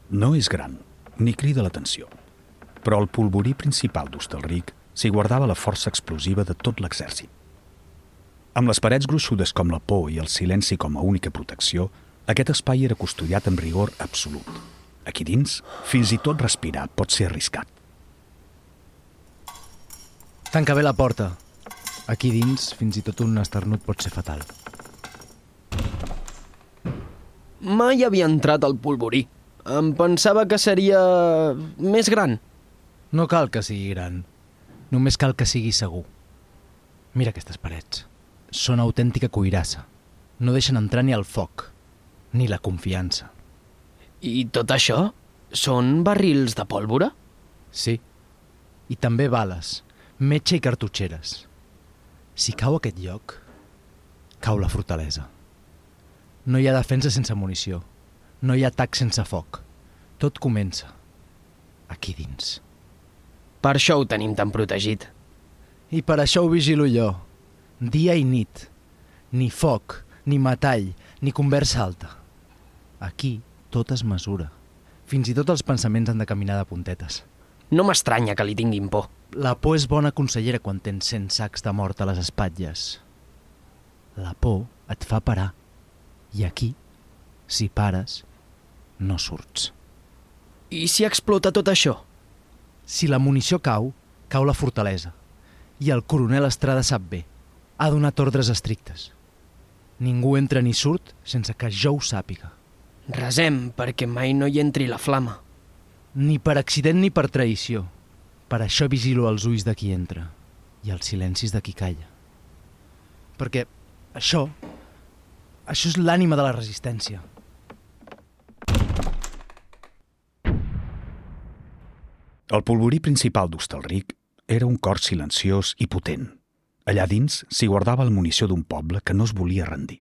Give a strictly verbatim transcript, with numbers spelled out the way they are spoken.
No és gran, ni crida l'atenció, però al polvorí principal d'Hostalric s'hi guardava la força explosiva de tot l'exèrcit. Amb les parets gruixudes com la por i el silenci com a única protecció, aquest espai era custodiat amb rigor absolut. Aquí dins, fins i tot respirar pot ser arriscat. Tanca bé la porta. Aquí dins, fins i tot un esternut pot ser fatal. Mai havia entrat al polvorí. Em pensava que seria més gran. No cal que sigui gran. Només cal que sigui segur. Mira aquestes parets. Són autèntica cuirassa. No deixen entrar ni el foc, ni la confiança. I tot això? Són barrils de pólvora? Sí. I també bales, metge i cartutxeres. Si cau aquest lloc, cau la fortalesa. No hi ha defensa sense munició. No hi ha atac sense foc. Tot comença aquí dins. Per això ho tenim tan protegit. I per això ho vigilo jo. Dia i nit. Ni foc, ni metall, ni conversa alta. Aquí tot es mesura. Fins i tot els pensaments han de caminar de puntetes. No m'estranya que li tinguin por. La por és bona consellera quan tens cent sacs de mort a les espatlles. La por et fa parar. I aquí, si pares, no surts. I si explota tot això? Si la munició cau, cau la fortalesa. I el coronel Estrada sap bé. Ha donat ordres estrictes. Ningú entra ni surt sense que jo ho sàpiga. Resem perquè mai no hi entri la flama. Ni per accident ni per traïció. Per això vigilo els ulls de qui entra i els silencis de qui calla. Perquè això, això és l'ànima de la resistència. El polvorí principal d'Hostalric era un cor silenciós i potent. Allà dins s'hi guardava la munició d'un poble que no es volia rendir.